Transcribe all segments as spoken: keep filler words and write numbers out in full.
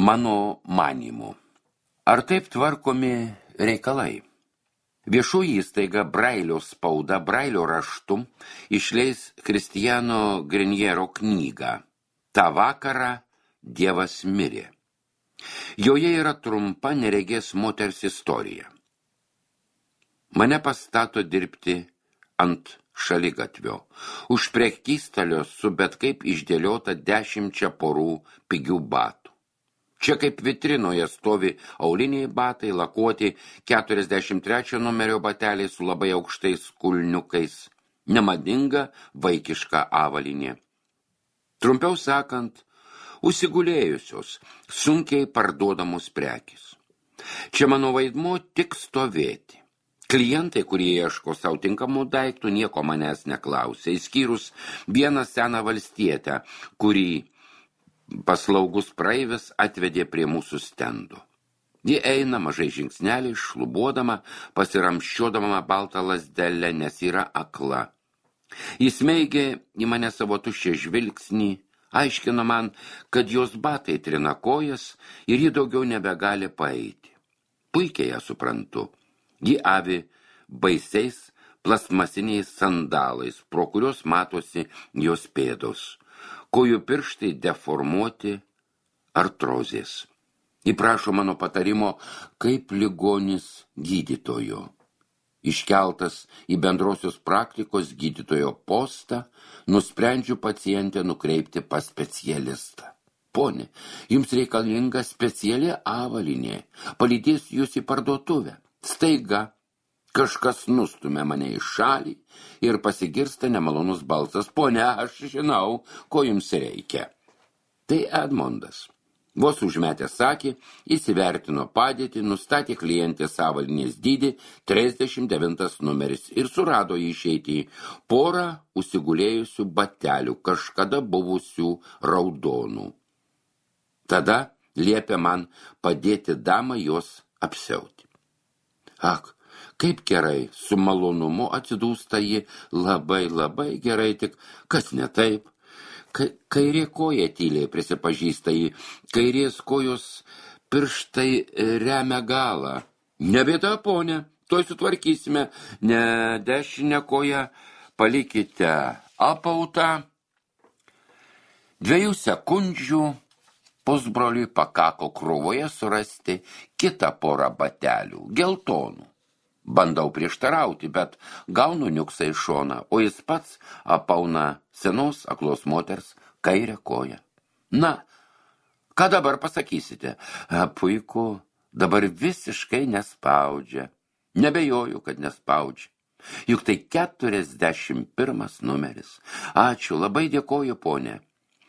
Mano manymu. Ar taip tvarkomi reikalai? Viešoji įstaiga Brailio spauda Brailio raštu išleis Kristiano Greniero knygą "Ta vakarą Dievas mirė". Joje yra trumpa neregės moters istorija. Mane pastato dirbti ant šaligatvio, už prekystalio su bet kaip išdėliota dešimčia porų pigių batų. Čia kaip vitrinoje stovi auliniai batai, lakuoti keturiasdešimt trečio numerio bateliai su labai aukštais kulniukais, nemadinga vaikiška avalynė. Trumpiau sakant, užsigulėjusios, sunkiai parduodamos prekės. Čia mano vaidmuo tik stovėti. Klientai, kurie ieško savo tinkamų daiktų, nieko manęs neklausė, išskyrus vieną seną valstietę, kurį paslaugus praeivis atvedė prie mūsų stendo. Ji eina mažai žingsneliai, šlubuodama, pasiramščiodama baltą lazdelę, nes yra akla. Jis meigė į mane savo tuščią žvilgsnį, aiškino man, kad jos batai trina kojas ir ji daugiau nebegali paeiti. Puikiai ją suprantu. Ji avi baisiais plastmasiniais sandalais, pro kurios matosi jos pėdos. Kojų pirštai deformuoti artrozės. Ji prašo mano patarimo kaip ligonis gydytojo. Iškeltas į bendrosios praktikos gydytojo postą, nusprendžiu pacientę nukreipti pas specialistą. Pone, jums reikalinga speciali avalynė, palydės jūs į parduotuvę. Staiga kažkas nustumia mane į šalį ir pasigirsta nemalonus balsas. Pone, aš žinau, ko jums reikia. Tai Edmondas. Vos užmetęs akį, įsivertino padėtį, nustatė klientės avalynės dydį, trisdešimt devintas numeris ir surado jį išeiti porą užsigulėjusių batelių, kažkada buvusių raudonų. Tada liepė man padėti damą jos apsiauti. Ak, kaip gerai, su malonumu atsidūsta ji, labai, labai gerai, tik kas ne taip. Kairė koja tyliai prisipažįsta ji, kairės kojos pirštai remia galą. Nebėda, ponė, tuoj sutvarkysime, ne dešinę koją palikite apautą. Dviejų sekundžių pusbroliui pakako krūvoje surasti kitą porą batelių, geltonų. Bandau prieštarauti, bet gaunu niuksą iš šoną, o jis pats apauna senos aklos moters kairę koją. Na, ką dabar pasakysite? A, puiku, dabar visiškai nespaudžia. Nebejoju, kad nespaudžia. Juk tai keturiasdešimt pirmas numeris. Ačiū, labai dėkoju, ponė.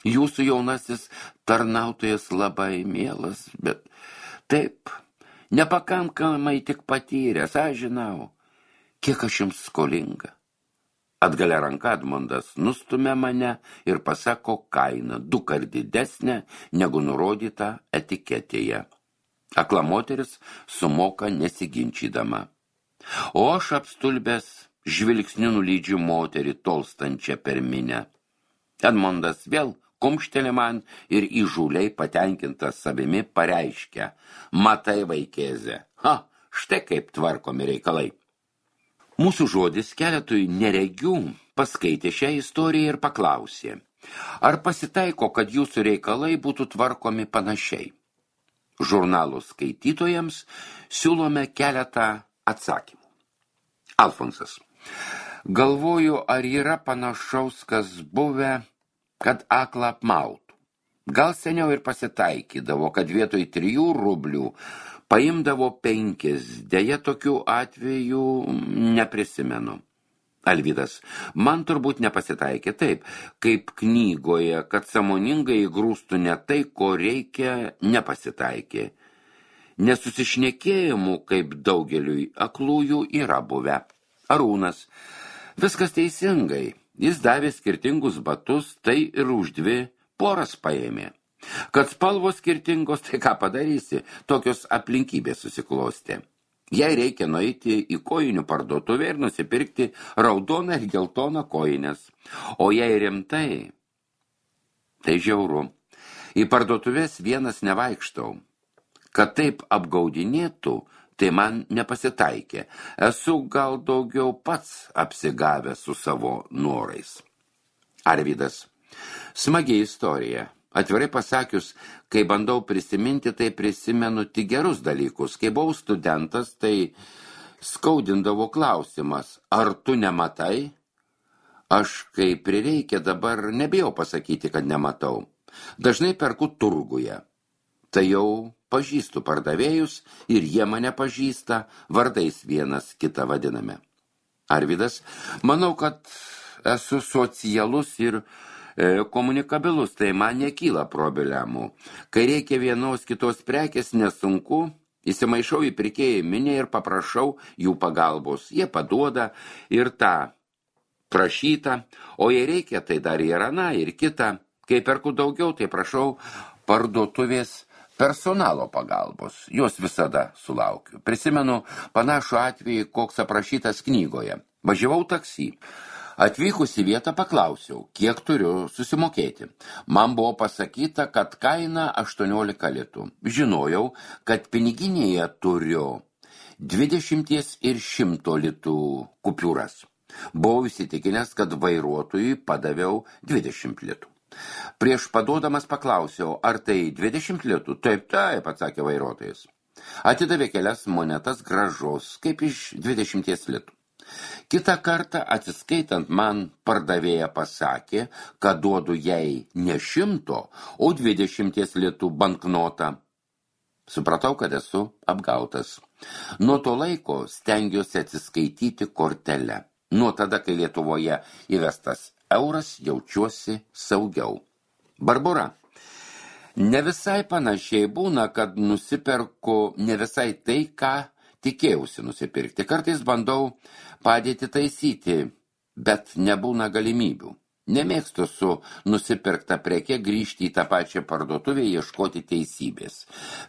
Jūsų jaunasis tarnautojas labai mielas, bet taip, nepakankamai tik patyręs, aš žinau, kiek aš jums skolinga. Atgalia ranka Edmondas nustumia mane ir pasako kainą, du kart didesnę negu nurodyta etiketėje. Akla moteris sumoka nesiginčydama. O aš apstulbęs žvilgsniu nulydžiu moterį tolstančią per minę. Edmondas vėl kumštelė man ir įžūliai patenkintas savimi pareiškia. Matai, vaikėze, ha, štai kaip tvarkomi reikalai. Mūsų žodis keletui neregių paskaitė šią istoriją ir paklausė, ar pasitaiko, kad jūsų reikalai būtų tvarkomi panašiai. Žurnalų skaitytojams siūlome keletą atsakymų. Alfonsas. Galvoju, ar yra panašaus, kas buvę, kad aklą apmautų. Gal seniau ir pasitaikydavo, kad vietoj trijų rublių paimdavo penkis, deja tokių atvejų neprisimenu. Alvydas, man turbūt nepasitaikė taip, kaip knygoje, kad sąmoningai įgrūstų ne tai, ko reikia, nepasitaikė. Nesusišnekėjimų, kaip daugeliui aklųjų, yra buvę. Arūnas, viskas teisingai. Jis davė skirtingus batus, tai ir už dvi poras paėmė. Kad spalvos skirtingos, tai ką padarysi, tokios aplinkybės susiklostė. Jei reikia nueiti į kojinių parduotuvę ir nusipirkti raudoną ir geltoną kojines. O jei rimtai, tai žiauru. Į parduotuvės vienas nevaikštau. Kad taip apgaudinėtų, tai man nepasitaikė. Esu gal daugiau pats apsigavęs su savo norais. Arvydas. Smagiai istorija. Atvirai pasakius, kai bandau prisiminti, tai prisimenu tik gerus dalykus. Kai buvau studentas, tai skaudindavo klausimas, ar tu nematai? Aš, kai prireikia, dabar nebijau pasakyti, kad nematau. Dažnai perku turguje. Tai jau pažįstu pardavėjus ir jie mane pažįsta, vardais vienas kitą vadiname. Arvydas, manau, kad esu socialus ir e, komunikabilus, tai man nekyla problemų. Kai reikia vienos kitos prekės, nesunku, įsimaišau į pirkėjų minę ir paprašau jų pagalbos. Jie paduoda ir tą prašytą, o jei reikia, tai dar ir aną, ir kitą. Kai perku daugiau, tai prašau parduotuvės personalo pagalbos. Jos visada sulaukiu. Prisimenu panašų atvejį, koks aprašytas knygoje. Važiavau taksi. Atvykus į vietą paklausiau, kiek turiu susimokėti. Man buvo pasakyta, kad kaina aštuoniolika litų. Žinojau, kad piniginėje turiu dvidešimties ir šimto litų kupiūras. Buvau įsitikinęs, kad vairuotojui padaviau dvidešimt litų. Prieš paduodamas paklausiau, ar tai dvidešimt litų? Taip, taip, atsakė vairuotojas. Atidavė kelias monetas gražos, kaip iš dvidešimties litų. Kitą kartą atsiskaitant man pardavėja pasakė, kad duodu jai ne šimto, o dvidešimties litų banknotą. Supratau, kad esu apgautas. Nuo to laiko stengiuosi atsiskaityti kortelę. Nuo tada, kai Lietuvoje įvestas euras, jaučiuosi saugiau. Barbora. Ne visai panašiai būna, kad nusiperku ne visai tai, ką tikėjausi nusipirkti. Kartais bandau padėti taisyti, bet nebūna galimybių. Nemėgstu su nusipirkta preke grįžti į tą pačią parduotuvę ieškoti teisybės.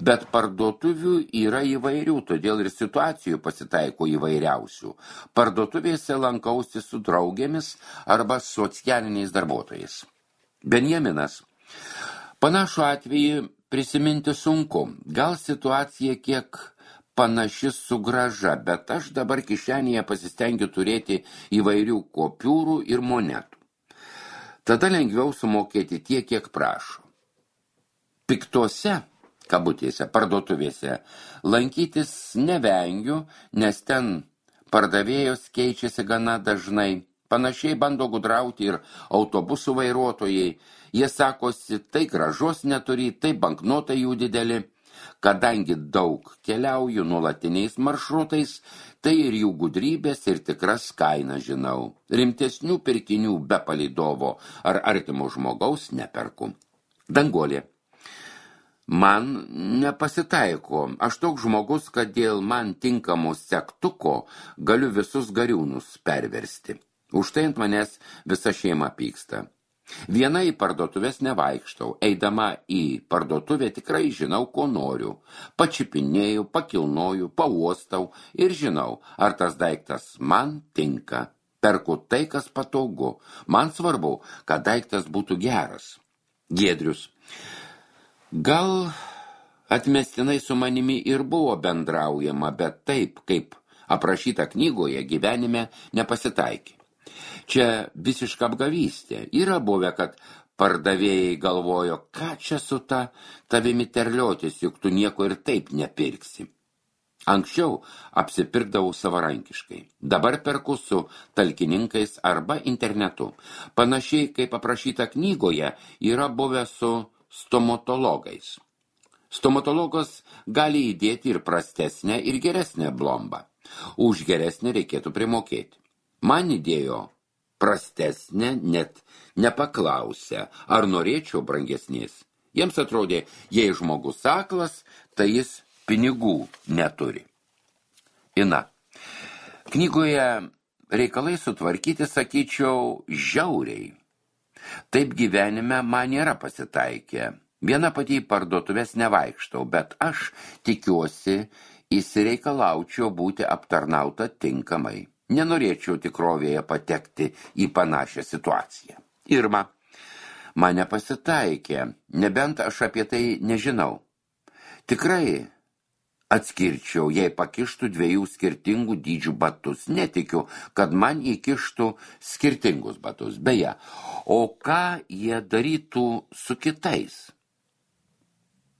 Bet parduotuvių yra įvairių, todėl ir situacijų pasitaiko įvairiausių. Parduotuvėse lankausi su draugėmis arba socialiniais darbuotojais. Benjaminas. Panašų atvejį prisiminti sunku. Gal situacija kiek panaši su grąža, bet aš dabar kišenėje pasistengiu turėti įvairių kopiūrų ir monetų. Tada lengviau sumokėti tiek, kiek prašo. Piktose, kabutėse, parduotuvėse lankytis nevengiu, nes ten pardavėjos keičiasi gana dažnai. Panašiai bando gudrauti ir autobusų vairuotojai. Jie sakosi, tai gražos neturi, tai banknotai jų dideli. Kadangi daug keliauju nuolatiniais maršrutais, tai ir jų gudrybės ir tikras kainas žinau. Rimtesnių pirkinių be palydovo ar artimo žmogaus neperku. Danguolė. Man nepasitaiko. Aš toks žmogus, kad dėl man tinkamo segtuko galiu visus gariūnus perversti. Už tai ant manęs visa šeima pyksta. Viena į parduotuvės nevaikštau. Eidama į parduotuvę tikrai žinau, ko noriu. Pačipinėjau, pakilnoju, pauostau ir žinau, ar tas daiktas man tinka. Perku tai, kas patogu. Man svarbu, kad daiktas būtų geras. Giedrius. Gal atmestinai su manimi ir buvo bendraujama, bet taip, kaip aprašyta knygoje, gyvenime nepasitaikė. Čia visiška apgavystė. Yra buvę, kad pardavėjai galvojo, ką čia su ta tavimi terliotis, juk tu nieko ir taip nepirksi. Anksčiau apsipirkdavau savarankiškai. Dabar perku su talkininkais arba internetu. Panašiai, kaip aprašyta knygoje, yra buvę su stomatologais. Stomatologas gali įdėti ir prastesnę, ir geresnę blombą. Už geresnę reikėtų primokėti. Man įdėjo prastesnė, net nepaklausė, ar norėčiau brangesnės. Jiems atrodė, jei žmogus aklas, tai jis pinigų neturi. Ina. Knygoje reikalai sutvarkyti, sakyčiau, žiauriai. Taip gyvenime man nėra pasitaikę. Viena pati į parduotuvės nevaikštau, bet aš tikiuosi, įsireikalaučiau būti aptarnauta tinkamai. Nenorėčiau tikrovėje patekti į panašią situaciją. Irma. man nepasitaikė, nebent aš apie tai nežinau. Tikrai atskirčiau, jei pakištų dviejų skirtingų dydžių batus. Netikiu, kad man įkištų skirtingus batus. Beje, o ką jie darytų su kitais?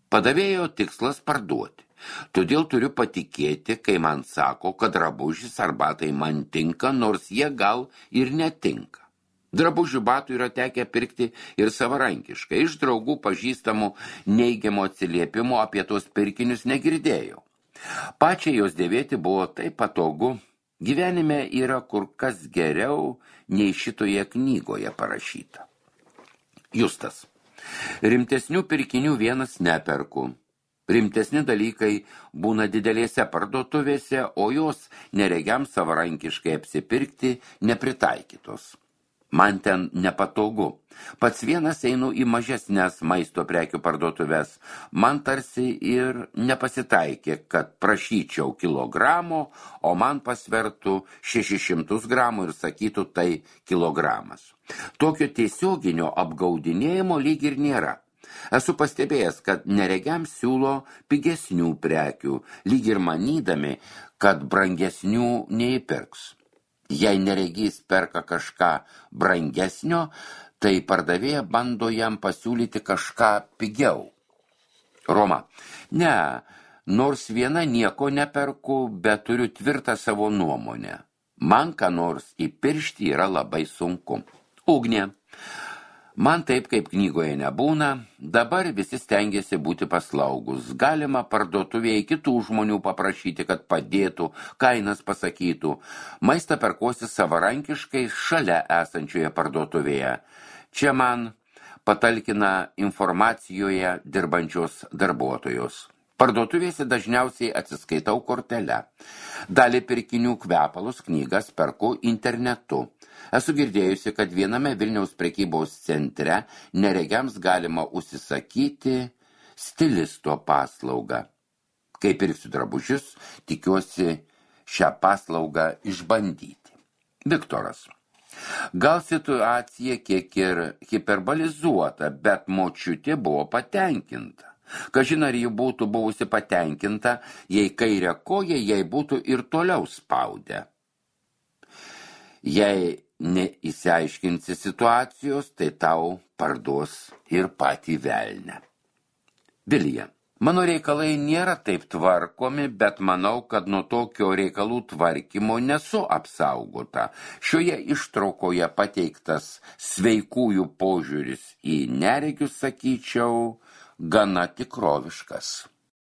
Padavėjo tikslas parduoti. Todėl turiu patikėti, kai man sako, kad drabužis ar batai man tinka, nors jie gal ir netinka. Drabužių batų yra tekę pirkti ir savarankiškai. Iš draugų pažįstamų neigiamo atsiliepimo apie tos pirkinius negirdėjau. Pačiai jos dėvėti buvo taip patogu. Gyvenime yra kur kas geriau nei šitoje knygoje parašyta. Justas. Rimtesnių pirkinių vienas neperku. Rimtesni dalykai būna didelėse parduotuvėse, o jos neregiams savarankiškai apsipirkti nepritaikytos. Man ten nepatogu. Pats vienas einu į mažesnes maisto prekių parduotuvės. Man tarsi ir nepasitaikė, kad prašyčiau kilogramo, o man pasvertų šešis šimtus gramų ir sakytų tai kilogramas. Tokio tiesioginio apgaudinėjimo lyg ir nėra. Esu pastebėjęs, kad neregiams siūlo pigesnių prekių, lyg ir manydami, kad brangesnių neįpirks. Jei neregys perka kažką brangesnio, tai pardavėja bando jam pasiūlyti kažką pigiau. Roma. Ne, nors viena nieko neperku, bet turiu tvirtą savo nuomonę. Man ką nors įpiršti yra labai sunku. Ugnė. Man taip, kaip knygoje nebūna, dabar visi stengiasi būti paslaugus. Galima parduotuvėje kitų žmonių paprašyti, kad padėtų, kainas pasakytų. Maistą perkuosi savarankiškai šalia esančioje parduotuvėje. Čia man patalkina informacijoje dirbančios darbuotojos. Parduotuvėse dažniausiai atsiskaitau kortele. Dalį pirkinių kvepalus knygas perku internetu. Esu girdėjusi, kad viename Vilniaus prekybos centre neregiams galima užsisakyti stilisto paslaugą. Kai pirksiu drabužius, tikiuosi šią paslaugą išbandyti. Viktoras. Gal situacija kiek ir hiperbolizuota, bet močiutė buvo patenkinta. Kažin ar ji būtų buvusi patenkinta, jei kairę koją jai būtų ir toliau spaudę. Jei neįsiaiškinsi situacijos, tai tau parduos ir patį velnę. Vilija. Mano reikalai nėra taip tvarkomi, bet manau, kad nuo tokio reikalų tvarkymo nesu apsaugota. Šioje ištraukoje pateiktas sveikųjų požiūris į neregius, sakyčiau, gana tikroviškas.